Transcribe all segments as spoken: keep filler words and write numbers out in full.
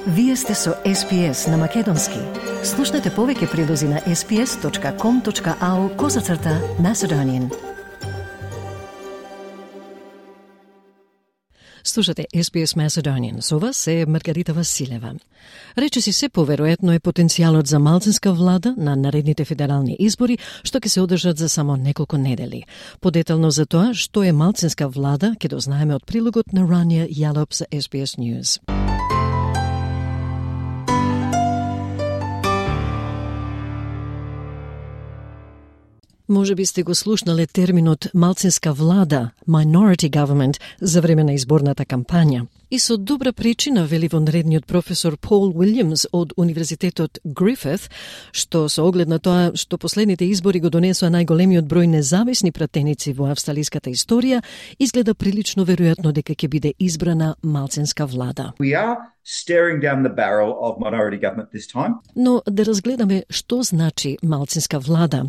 Вие сте со Ес Би Ес на Македонски. Слушнете повеќе прилози на ес би ес точка ком точка ау козацрта Macedonian. Слушате Ес Би Ес Macedonian. Со вас е Маргарита Василева. Речиси се поверојатно е потенцијалот за малцинска влада на наредните федерални избори, што ќе се одржат за само неколку недели. Подетално за тоа што е малцинска влада, ќе дознаеме од прилогот на Рания Јалоп за Ес Би Ес News. Може би сте го слушнале терминот малцинска влада, minority government, за време на изборната кампања. И со добра причина, вели вонредниот професор Пол Уилјамс од Универзитетот Грифит, што со оглед на тоа што последните избори го донесоа најголемиот број независни пратеници во австралиската историја, изгледа прилично веројатно дека ќе биде избрана малцинска влада. We are staring down the barrel of minority government this time. Но да разгледаме што значи малцинска влада.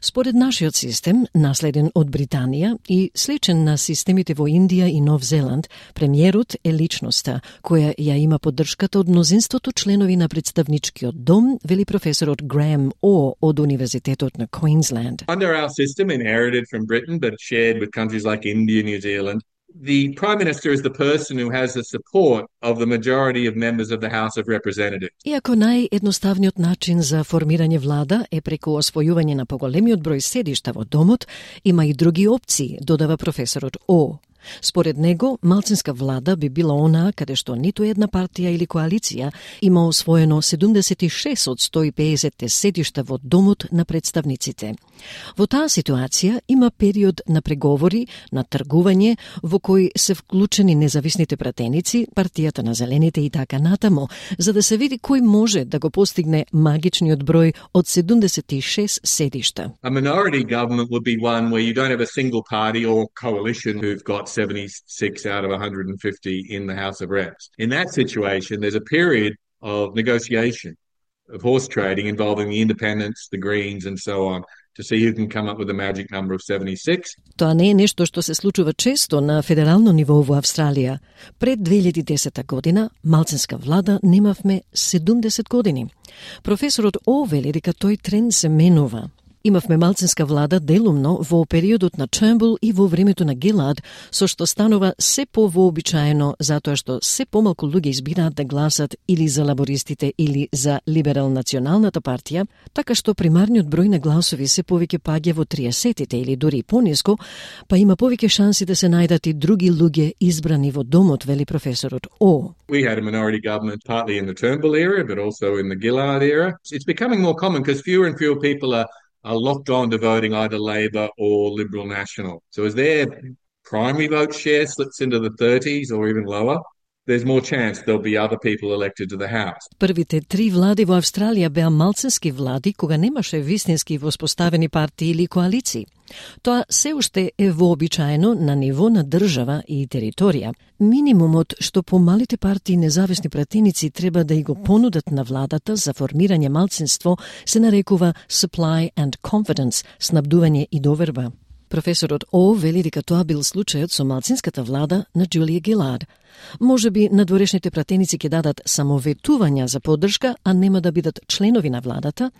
Според нашиот систем, наследен од Британија и сличен на системите во Индија и Нов Зеланд, премиерот е личноста која ја има поддршката од мнозинството членови на представничкиот дом, вели професорот Граем О од Универзитетот на Queensland. Under our system, inherited from Britain but shared with countries like India, New Zealand, the Prime Minister is the person who has the support of the majority of members of the House of Representatives. Иако наједноставниот начин за формирање влада е преку освојување на поголемиот број седишта во домот, има и други опции, додава професорот О. Според него, малцинска влада би била онаа каде што ниту една партија или коалиција има освоено седумдесет и шест од сто и педесет седишта во домот на представниците. Во таа ситуација има период на преговори, на тргување, во кој се вклучени независните пратеници, партијата на зелените и така натаму, за да се види кој може да го постигне магичниот број од седумдесет и шест седишта. A minority government would be one where you don't have a single party or coalition who've got seventy-six out of one hundred fifty in the House of Reps. In that situation, there's a period of negotiation, of horse trading involving the independents, the Greens and so on, to see who can come up with a magic number of seventy-six. Тоа не е нешто што се случува често на федерално ниво во Австралија. Пред две илјади и десета година, малцинска влада немавме седумдесет години. Професорот О вели дека тој тренд се менува. Имавме малцинска влада делумно во периодот на Тurnbull и во времето на Гилад, со што станува се повообичаено затоа што се помалку луѓе избираат да гласат или за лабористите или за либерал-националната партија, така што примарниот број на гласови се повеќе паѓа во триесетите или дури пониско, па има повеќе шанси да се најдат и други луѓе избрани во домот, вели професорот О. We had a minority government partly in the Turnbull era, but also in the Gillard era. It's becoming more common because fewer and fewer people are are locked on to voting either Labor or Liberal National. So as their primary vote share slips into the thirties or even lower, there's more chance there'll be other people elected to the House. Првите три влади во Австралија беа малцински влади кога немаше вистински воспоставени партии или коалиции. Тоа се уште е вообичаено на ниво на држава и територија. Минимумот што помалите партии независни пратеници треба да и го понудат на владата за формирање малцинство се нарекува supply and confidence, снабдување и доверба. Професорот О вели дека тоа бил случајот со малцинската влада на Джулија Гилард. Може би надворешните пратеници ќе дадат само ветувања за поддршка, а нема да бидат членови на владата,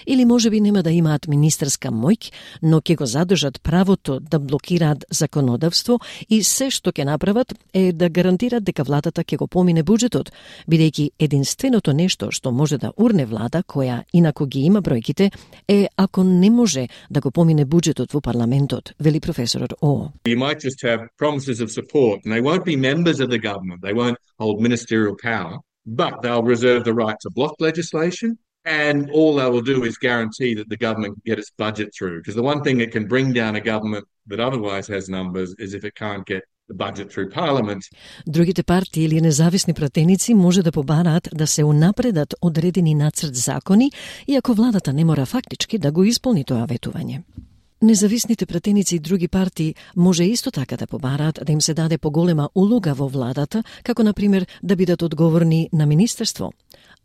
или може би нема да имаат министерска моќ, но ќе го задржат правото да блокираат законодавство и се што ќе направат е да гарантират дека владата ќе го помине буџетот, бидејќи единственото нешто што може да урне влада, која инаку ги има бројките, е ако не може да го помине буџетот во парламентот, вели професорот О. You might just have promises of support, and they won't be members of the government. They won't hold ministerial power, but they'll reserve the right to block legislation, and all they will do is guarantee that the government can get its budget through. Because the one thing that can bring down a government that otherwise has numbers is if it can't get the budget through parliament. Другите партии или независни пратеници може да побараат да се унапредат одредени нацрт закони, иако владата не мора фактички да го исполни тоа ветување. Независните пратеници и други партии може исто така да побараат да им се даде поголема улога во владата, како например да бидат одговорни на министерство.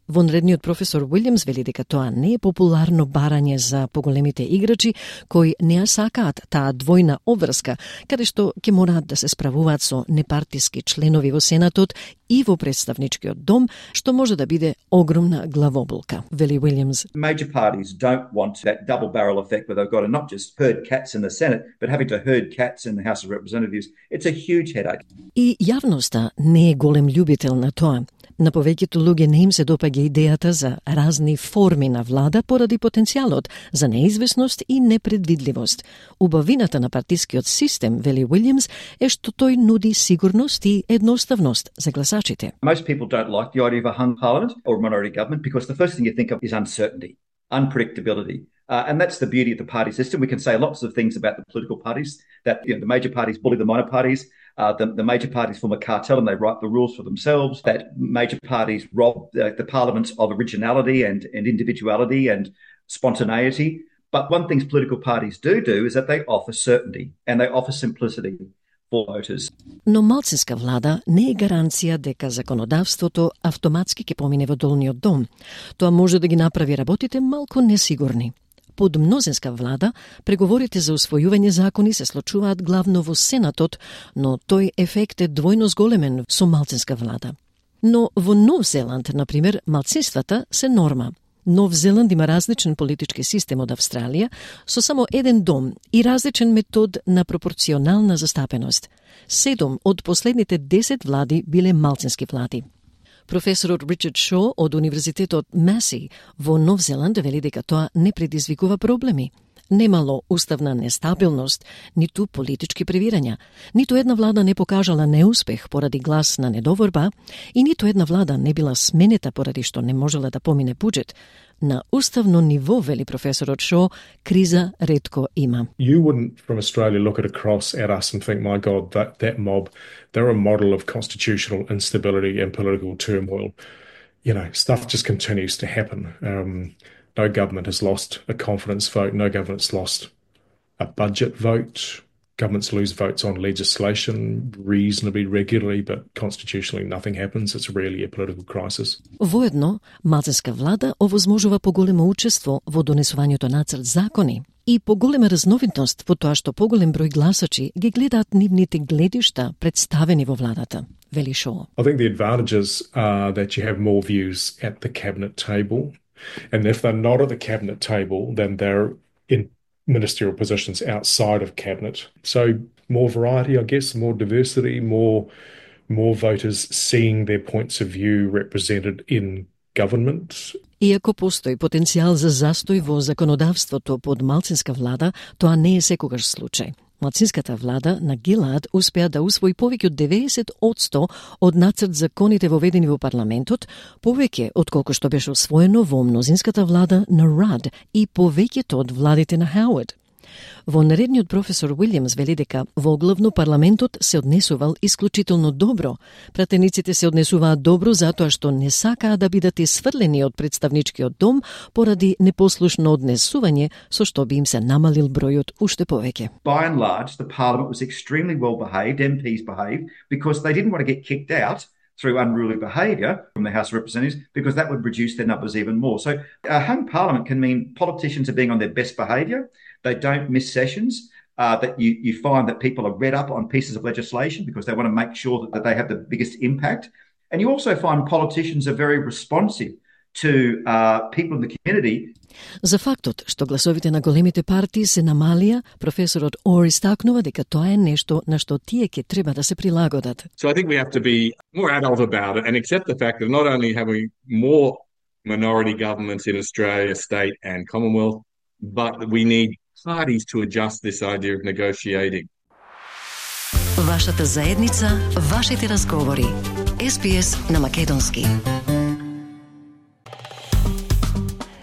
Вонредниот професор Уилјамс вели дека тоа не е популарно барање за поголемите играчи кои не ја сакаат таа двојна обврска, каде што ќе мораат да се справуваат со непартиски членови во Сенатот и во представничкиот дом, што може да биде огромна главоболка, вели Уилјамс. Major parties don't want that double barrel effect where they've got to not just herd cats in the Senate, but having to herd cats in the House of Representatives. It's a huge headache. И јавноста не е голем љубител на тоа. На повеќето луѓе не им се допаѓа идејата за разни форми на влада поради потенцијалот за неизвестност и непредвидливост. Убавината на партискиот систем, вели Уилјамс, е што тој нуди сигурност и едноставност за гласачите. Most people don't like the idea of a hung parliament or a minority government because the first thing you think of is uncertainty, unpredictability. Uh, and that's the beauty of the party system. We can say lots of things about the political parties, that you know, the major parties bully the minor parties, uh, the, the major parties form a cartel and they write the rules for themselves, that major parties rob uh, the parliaments of originality and, and individuality and spontaneity. But one thing political parties do do is that they offer certainty and they offer simplicity for voters. Но малцинска влада не е гаранција дека законодавството автоматски ќе помине во долниот дом. Тоа може да ги направи работите малку несигурни. Под мнозинска влада, преговорите за усвојување закони се случуваат главно во Сенатот, но тој ефект е двојно зголемен со малцинска влада. Но во Нов Зеланд, например, малцинствата се норма. Нов Зеланд има различен политички систем од Австралија, со само еден дом и различен метод на пропорционална застапеност. Седум од последните десет влади биле малцински влади. Професорот Ричард Шо од Универзитетот Маси во Нов Зеланд вели дека тоа не предизвикува проблеми. Немало уставна нестабилност, ниту политички превирања, ниту една влада не покажала неуспех поради глас на недоворба и ниту една влада не била сменета поради што не можела да помине буџет. На уставно ниво, вели професорот Шо, криза ретко има. You wouldn't from Australia look at across at us and think, my God, that, that mob, they're a model of constitutional instability and political turmoil. You know, stuff just continues to happen. Um, no government has lost a confidence vote. No government's lost a budget vote. Governments lose votes on legislation reasonably regularly, but constitutionally nothing happens. It's really a political crisis. Воедно, малцинска влада овозможува поголемо учество во донесувањето нацрт закони и поголема разновидност во тоа што поголем број гласачи ги гледаат нивните гледишта представени во владата, вели Шо. I think the advantages are that you have more views at the cabinet table, and if they're not at the cabinet table, then they're in ministerial positions outside of cabinet. So more variety, I guess, more diversity, more more voters seeing their points of view represented in government. Иако постои потенцијал за застој во законодавството под малцинска влада, тоа не е секогаш случај. Малцинската влада на Гилад успеа да усвои повеќе од деветдесет одсто од нацрт законите воведени во парламентот, повеќе отколку што беше усвоено во мнозинската влада на Рад и повеќето од владите на Хауард. Вонредниот професор Уилјамс вели дека во главно парламентот се однесувал исклучително добро. Пратениците се однесуваат добро затоа што не сакаат да бидат исфрлени од представничкиот дом поради непослушно однесување со што би им се намалил бројот уште повеќе. By and large, the parliament was extremely well behaved, M Ps behaved, because they didn't want to get kicked out through unruly behaviour from the House of Representatives, because that would reduce their numbers even more. So a hung parliament can mean politicians are being on their best behaviour. They don't miss sessions, uh, that you, you find that people are read up on pieces of legislation because they want to make sure that, that they have the biggest impact. And you also find politicians are very responsive to uh, people in the community. За фактот што гласовите на големите партии се намалија, професорот Ор истакнува дека тоа е нешто на што тие ќе треба да се прилагодат. So I think we have to be more adult about it and accept the fact that not only have we more minority governments in Australia, state and Commonwealth, but we need parties to adjust this idea of negotiating. Вашата заедница, вашите разговори. Ес Би Ес на македонски.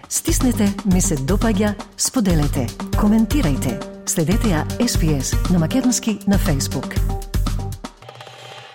Стиснете, ми се допаѓа, споделете, коментирајте. Следете ја Ес Би Ес на македонски на Facebook.